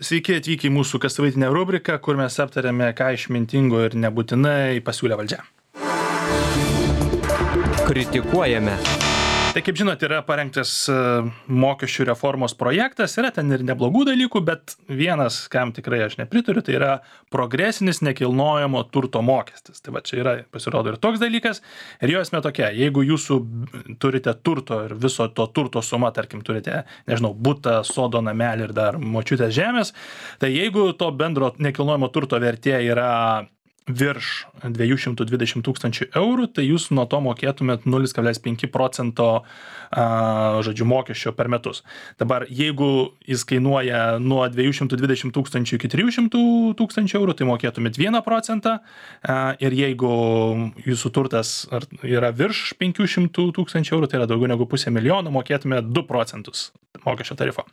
Sveiki atvykę į mūsų kassavaitinę rubriką, kur mes aptarėme, ką išmintingo ir nebūtinai pasiūlė valdžia. Kritikuojame. Tai kaip žinot, yra parengtas mokesčių reformos projektas, yra ten ir neblogų dalykų, bet vienas, kam tikrai aš nepritariu, tai yra progresinis nekilnojamo turto mokestis. Tai va čia yra, pasirodo, ir toks dalykas, ir jo esmė tokia, jeigu jūsų turite turto ir viso to turto suma, tarkim, turite, nežinau, butą, sodo, namelį ir dar močiutės žemės, tai jeigu to bendro nekilnojamo turto vertė yra virš 220 000 eurų, tai jūs nuo to mokėtumėt 0,5% žodžiu mokesčio per metus. Dabar, jeigu jis kainuoja nuo 220 000 iki 300 000 eurų, tai mokėtumėt 1%, ir jeigu jūsų turtas yra virš 500 000 eurų, tai yra daugiau negu 500 000, mokėtumėt 2% mokesčio tarifo.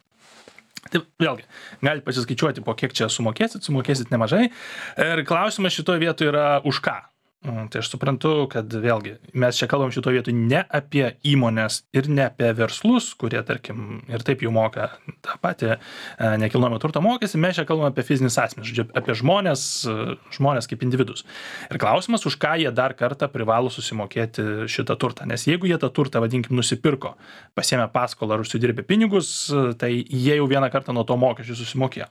Tai vėlgi, galite pasiskaičiuoti, po kiek čia sumokėsit nemažai. Ir klausimas šitoje vietoje yra už ką. Tai aš suprantu, kad vėlgi mes čia kalbam šitoje vietoje ne apie įmonės ir ne apie verslus, kurie, tarkim, ir taip jau moka tą patį nekilnojamo turto mokestį, mes čia kalbam apie fizinis asmenys, žodžiu, apie žmonės kaip individus. Ir klausimas, už ką jie dar kartą privalo susimokėti šitą turtą. Nes jeigu jie tą turtą, vadinkim, nusipirko, pasiėmė paskolą ar užsidirbė pinigus, tai jie jau vieną kartą nuo to mokesčių susimokėjo.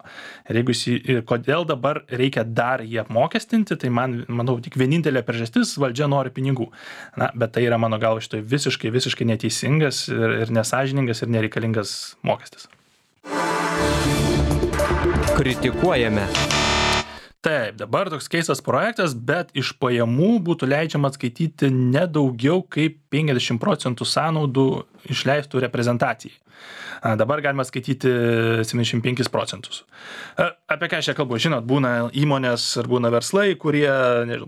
Ir kodėl dabar reikia dar jį apmokestinti, tai manau, tik vienintelė priežastis, valdžia nori pinigų. Na, bet tai yra mano galva šitoj visiškai neteisingas ir nesąžiningas ir nereikalingas mokestis. Kritikuojame. Taip, dabar toks keistas projektas, bet iš pajamų būtų leidžiama atskaityti nedaugiau kaip 50% sąnaudų išleistų reprezentacijai. Dabar galima skaityti 75%. Apie ką aš čia kalbu? Žinot, būna įmonės ar būna verslai, kurie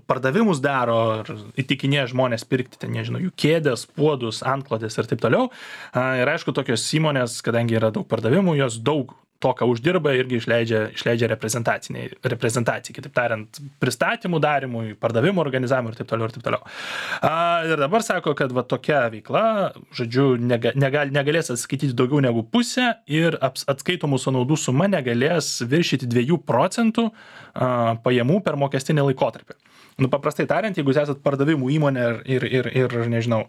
pardavimus daro ir įtikinėja žmonės pirkti, nežinau, jų kėdės, puodus, antklodės ir taip toliau. Ir aišku, tokios įmonės, kadangi yra daug pardavimų, jos daug to, ką uždirba, irgi išleidžia reprezentacijai, kitaip tariant, pristatymų darimui, pardavimų organizavimui ir taip toliau ir taip toliau. Ir dabar sako, kad va tokia veikla, žodžiu, negalės atskaityti daugiau negu pusę ir atskaitomų sąnaudų suma negalės viršyti 2% pajamų per mokestinį laikotarpį. Nu, paprastai tariant, jeigu jūs esat pardavimų įmonė ir nežinau,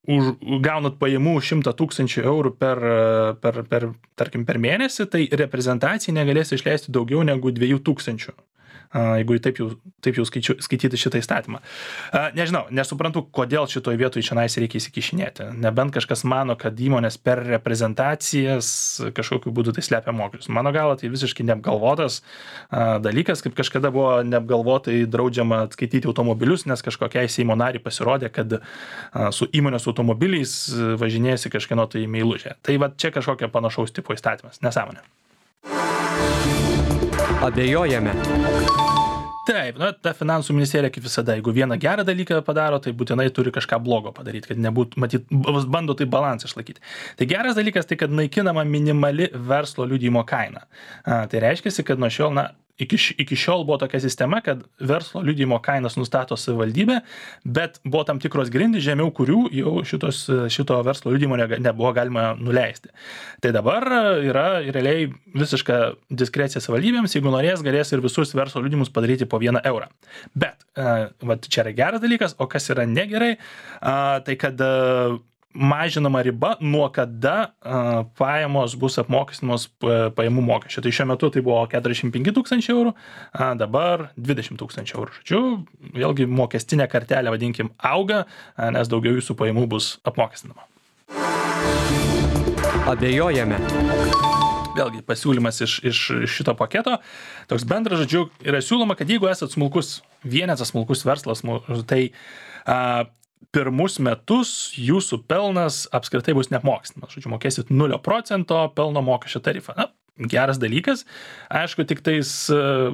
gaunat pajamų 100 000 eurų tarkim, per mėnesį, tai reprezentacijai negalės išleisti daugiau negu 2000, jeigu taip jau skaityti šitą įstatymą. Nežinau, nesuprantu, kodėl šitoj vietoj šiandien reikia įsikišinėti. Nebent kažkas mano, kad įmonės per reprezentacijas kažkokiu būdu tai slepia mokesčius. Mano galva, tai visiškai neapgalvotas dalykas, kaip kažkada buvo neapgalvotai draudžiama atskaityti automobilius, nes kažkokiai Seimo nariai pasirodė, kad su įmonės automobiliais važinėjasi kažkieno tai meilužė. Tai va čia kažkokia panašaus tipo įstatymas. Nesąmonė. Abejojame. Taip, ta finansų ministerija kaip visada, jeigu vieną gerą dalyką padaro, tai būtinai turi kažką blogo padaryti, kad nebūtų, matyt, bando tai balansą išlaikyti. Tai geras dalykas tai, kad naikinama minimali verslo liudijimo kaina. Tai reiškia, kad nuo šiol, iki šiol buvo tokia sistema, kad verslo liudijimo kainas nustato savivaldybė, bet buvo tam tikros grindys, žemiau kurių jau šito verslo liudijimo nebuvo galima nuleisti. Tai dabar yra realiai visiška diskrecija savivaldybėms, jeigu norės, galės ir visus verslo liudijimus padaryti po 1 eurą. Bet čia yra geras dalykas, o kas yra negerai, tai kad mažinama riba, nuo kada pajamos bus apmokestinamos pajamų mokesčio. Tai šiuo metu tai buvo 45 000 eurų, dabar 20 000 eurų. Žodžiu, vėlgi mokestinė kartelė, vadinkim, auga, nes daugiau jūsų pajamų bus apmokestinama. Abejojame. Vėlgi pasiūlymas iš šito paketo. Toks bendras, žodžiu, yra siūloma, kad jeigu esat smulkus vienetas, smulkus verslas, tai pirmus metus jūsų pelnas apskritai bus neapmokestinamas. Žodžiu, mokėsit 0% pelno mokesčio tarifą. Na, geras dalykas. Aišku, tik tais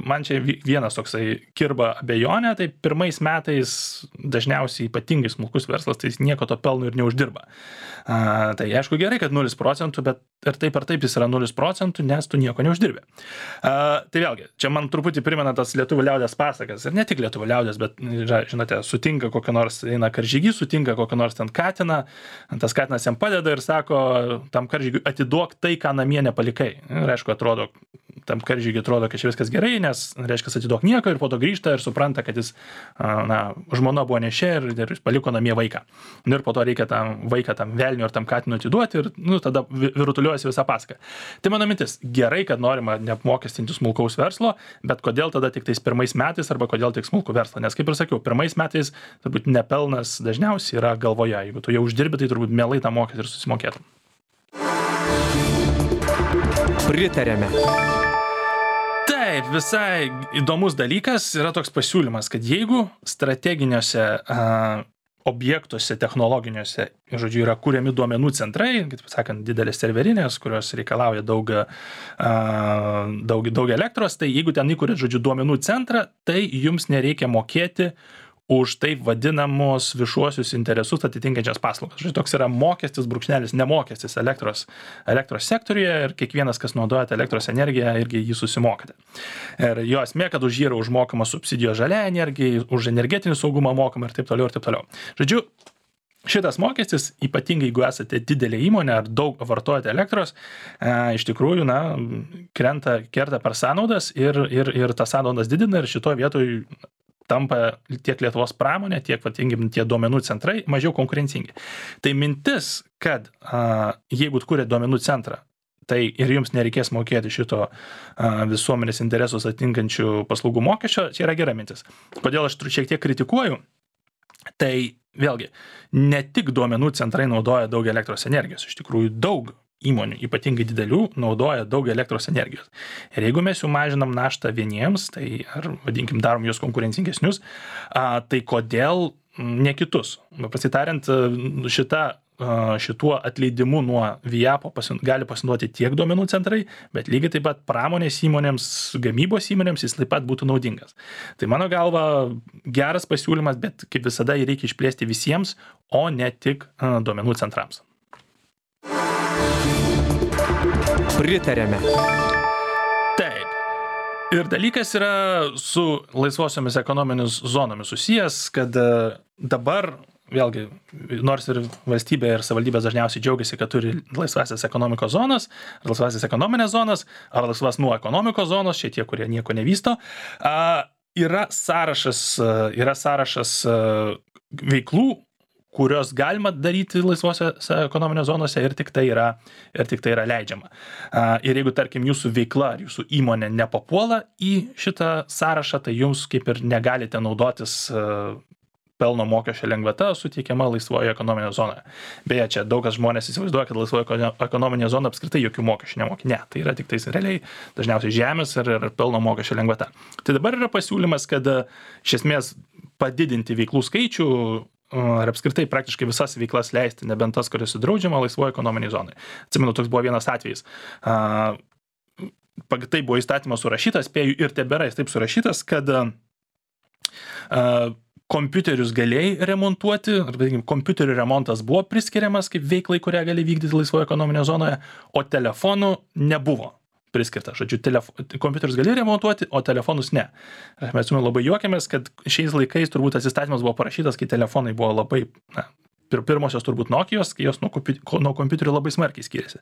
man čia vienas toksai kirba abejonė, tai pirmais metais dažniausiai ypatingai smulkus verslas, tai jis nieko to pelno ir neuždirba. Tai aišku gerai, kad 0%, bet ir taip jis yra 0%, nes tu nieko neuždirbi. Tai vėlgi, čia man truputį primena tas lietuvių liaudės pasakas, ir ne tik lietuvių liaudės, bet, žinote, sutinka kokį nors eina karžygį, sutinka kokį nors ten katiną, tas katinas jam padeda ir sako tam karžygiui, atiduok tai, ką namie nepalikai. Ir ir aišku, tam karžygiui atrodo, kad čia viskas gerai, nes, reiškia, atiduok nieko ir po to grįžta ir supranta, kad jis, žmona buvo nešė ir paliko namie vaiką. Ir po to reikia tam vaiką, tam velniui ar tam katinui atiduoti ir, tada virutuliuojasi visą paską. Tai mano mintis, gerai, kad norima neapmokestinti smulkaus verslo, bet kodėl tada tik tais pirmais metais arba kodėl tik smulkų verslą? Nes, kaip ir sakiau, pirmais metais turbūt nepelnas dažniausiai yra galvoje. Jeigu tu jau uždirbi, tai turbūt mielai tą mokestį ir susimokėtum. Pritarėme. Taip, visai įdomus dalykas yra toks pasiūlymas, kad jeigu strateginiuose objektuose, technologiniuose, žodžiu, yra kuriami duomenų centrai, kaip sakant, didelės serverinės, kurios reikalauja daug elektros, tai jeigu ten įkuriat, žodžiu, duomenų centrą, tai jums nereikia mokėti už taip vadinamos viešuosius interesus atitinkančias paslaugas. Žodžiu, toks yra mokestis, brūkšnelis, nemokestis elektros sektoriuje ir kiekvienas, kas naudojate elektros energiją, irgi jį susimokate. Ir jo esmė, kad už jį yra užmokama subsidijos žaliai energijai, už energetinį saugumą mokama ir taip toliau ir taip toliau. Žodžiu, šitas mokestis, ypatingai jeigu esate didelė įmonė ar daug vartojate elektros, iš tikrųjų, kerta per sąnaudas ir tas sąnaudas didina ir šitoje vietoje tampa tiek Lietuvos pramonė, tiek tie duomenų centrai mažiau konkurencingi. Tai mintis, kad jeigu kuriat duomenų centrą, tai ir jums nereikės mokėti šito visuomenės interesus atitinkančių paslaugų mokesčio, čia yra gera mintis. Kodėl aš šiek tiek kritikuoju? Tai vėlgi, ne tik duomenų centrai naudoja daug elektros energijos, iš tikrųjų daug įmonių, ypatingai didelių, naudoja daug elektros energijos. Ir jeigu mes jau mažinam naštą vieniems, tai ar vadinkim darom juos konkurencingesnius, tai kodėl ne kitus? Pasitariant, šituo atleidimu nuo VIAPO gali pasinaudoti tiek duomenų centrai, bet lygiai taip pat pramonės įmonėms, gamybos įmonėms jis taip pat būtų naudingas. Tai mano galva geras pasiūlymas, bet kaip visada jį reikia išplėsti visiems, o ne tik duomenų centrams. Pritarėme. Taip. Ir dalykas yra su laisvosiomis ekonominėmis zonomis susijęs, kad dabar, vėlgi, nors ir valstybė ir savivaldybės dažniausiai džiaugiasi, kad turi laisvasias ekonomikos zonas, ar laisvasias ekonominės zonas, ar laisvas nuo ekonomikos zonos, šitie, kurie nieko nevysto, yra sąrašas veiklų, kurios galima daryti laisvosiose ekonominės zonose ir tik tai yra leidžiama. Ir jeigu, tarkim, jūsų veikla ar jūsų įmonė nepapuola į šitą sąrašą, tai jums kaip ir negalite naudotis pelno mokesčio lengvata suteikiama laisvoje ekonominėje zonoje. Beje, čia daug kas žmonės įsivaizduoja, kad laisvoje ekonominėje zonoje apskritai jokių mokesčių nemoki. Ne, tai yra tik tais realiai dažniausiai žemės ir pelno mokesčio lengvata. Tai dabar yra pasiūlymas, kad iš esmės padidinti veiklų skaičių ar apskritai praktiškai visas veiklas leisti, nebent tas, kuris sudraudžiama laisvoje ekonominėje zonoje. Atsimenu, toks buvo vienas atvejis. Tai buvo įstatymas surašytas, spėju, ir tebėra jis taip surašytas, kad kompiuterius galėjai remontuoti, arba kompiuterių remontas buvo priskiriamas kaip veiklai, kurią gali vykdyti laisvoje ekonominėje zonoje, o telefonų nebuvo priskirta. Žodžiu, kompiuterius galėjai remontuoti, o telefonus ne. Mes labai juokiamės, kad šiais laikais turbūt tas įstatymas buvo parašytas, kai telefonai buvo labai, pirmosios turbūt Nokijos, kai jos nuo kompiuterių labai smarkiai skiriasi.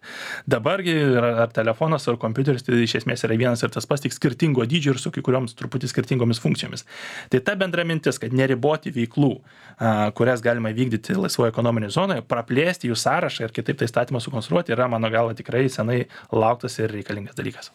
Dabargi ar telefonas, ar kompiuteris, tai iš esmės yra vienas ir tas pats, tik skirtingo dydžio ir su kai kurioms truputį skirtingomis funkcijomis. Tai ta bendra mintis, kad neriboti veiklų, kurias galima vykdyti laisvoje ekonominėje zonoje, praplėsti jų sąrašą ir kitaip tai įstatymą sukonstruoti, yra mano galva tikrai senai lauktas ir reikalingas dalykas.